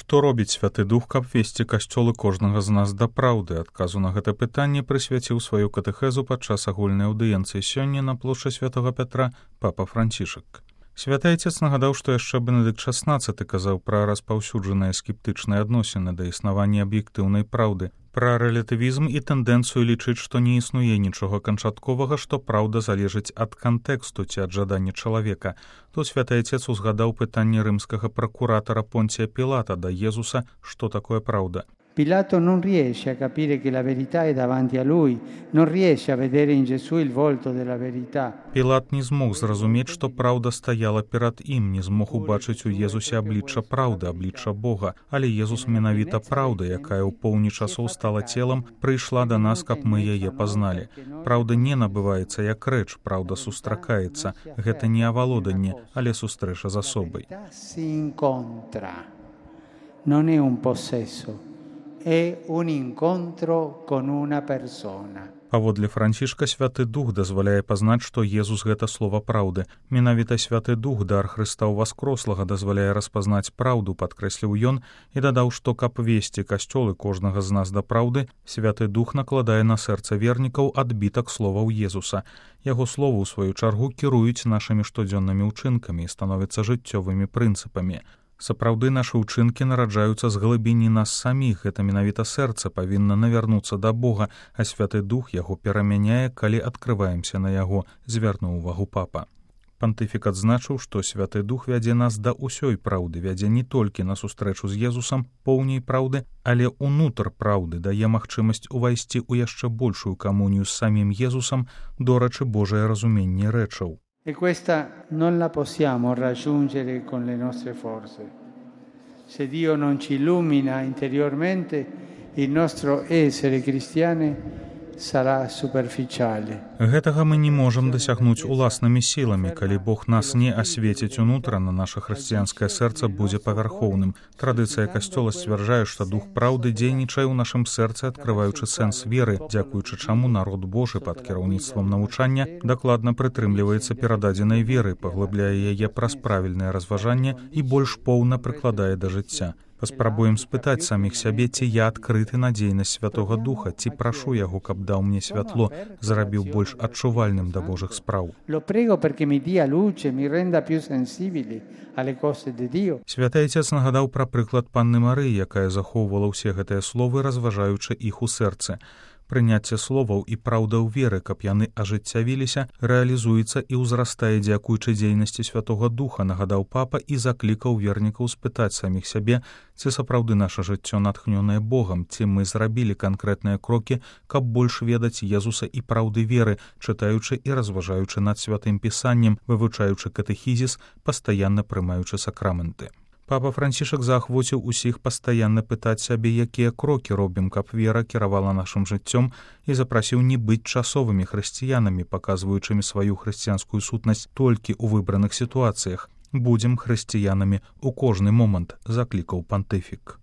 Што робіць Святы Дух, каб весці касцёлы кожнага з нас да праўды? Адказу на гэта пытанне прысвяціў сваю катэхезу падчас агульнай аўдыенцыі сёння на плошчы Святога Пятра папа Францішак. Святы Айцец нагадаў, што яшчэ Бенедыкт XVI казаў пра распаўсюджаныя скептычныя адносіны да існавання аб'ектыўнай праўды, пра рэлятывізм і тэндэнцыю лічыць, што не існуе нічога канчатковага, што праўда залежыць ад кантэксту ці ад жадання чалавека. Тут Святы Айцец узгадаў пытанне рымскага пракуратара Понція Пілата да Єзуса, што такое праўда. Pilato non riesce a capire che la verità è davanti a lui, non riesce a vedere in Gesù il volto della verità. Пілат не змог зразумець, што праўда стаяла перад ім, не змог убачыць у Езусе аблічча праўды, аблічча Бога. Але Езус менавіта праўда, якая ў поўні часоў стала целам, прыйшла да нас, каб мы яе пазналі. Праўда не набываецца як рэч, праўда сустракаецца. Гэта не авалоданне, але сустрэча з асобай. Non è un possesso. È un incontro con una persona. Паводле Францішка, Святы Дух дазваляе пазнаць, што Езус гэта слова праўды. Менавіта Святы Дух, дар Хрыста ўваскрослага, дазваляе распазнаць праўду, падкрэсліў ён і дадаў, што каб весці касцёлы кожнага з нас да праўды, Святы Дух накладае на сэрца вернікаў адбітак словаў Езуса. Яго словы, у сваю чаргу, кіруюць нашымі штодзённымі ўчынкамі і становяцца жыццёвымі прынцыпамі. Сапраўды нашы ўчынкі нараджаюцца з глыбіні нас саміх, гэта менавіта сэрца павінна навярнуцца да Бога, а Святы Дух яго перамяняе, калі адкрываемся на яго, звярнуў увагу папа. Пантыфік адзначыў, што Святы Дух вядзе нас да ўсёй праўды, вядзе не толькі на сустрэчу з Езусам, поўняй праўды, але ўнутр праўды, дае магчымасць увайсці ў яшчэ большую камунію з самім Езусам, дорачы Божае разуменне рэчаў. E questa non la possiamo raggiungere con le nostre forze. Se Dio non ci illumina interiormente, il nostro essere cristiani sarà superficiale. Гэтага мы не можам дасягнуць уласнымі сіламі. Калі Бог нас не асвеціць унутрана, наша хрысціянскае сэрца будзе павярхоўным. Традыцыя касцёла сцвярджае, што дух праўды дзейнічае ў нашым сэрцы, адкрываючы сэнс веры, дзякуючы чаму народ Божы пад кіраўніцтвам навучання дакладна прытрымліваецца перададзенай веры, паглыбляе яе праз правільнае разважанне і больш поўна прыкладае да жыцця. Паспрабуем спытаць саміх сябе, ці я адкрыты на дзейнасць Святога Духа, ці прашу яго, каб даў мне святло, зрабіў больш адчувальным да Божых спраў. Святы Айцец нагадаў пра прыклад панны Марыі, якая захоўвала ўсе гэтыя словы, разважаючы іх у сэрцы. Прыняцце словаў і праўда ў веры, каб яны ажыццявіліся, рэалізуецца і ўзрастае дзякуючы дзейнасці Святога Духа, нагадаў папа і заклікаў вернікаў спытаць саміх сябе, ці сапраўды наша жыццё натхнёнае Богам, ці мы зрабілі канкрэтныя крокі, каб больш ведаць Езуса і праўды веры, чытаючы і разважаючы над Святым Пісаннем, вывучаючы катэхізіс, пастаянна прымаючы сакраменты. Папа Францішак заахвоціў усіх пастаянна пытаць сябе, якія крокі робім, каб вера кіравала нашым жыццём, і запрасіў не быць часовымі хрысціянамі, паказваючымі сваю хрысціянскую сутнасць толькі ў выбраных сітуацыях. Будзем хрысціянамі ў кожны момант, заклікаў пантыфік.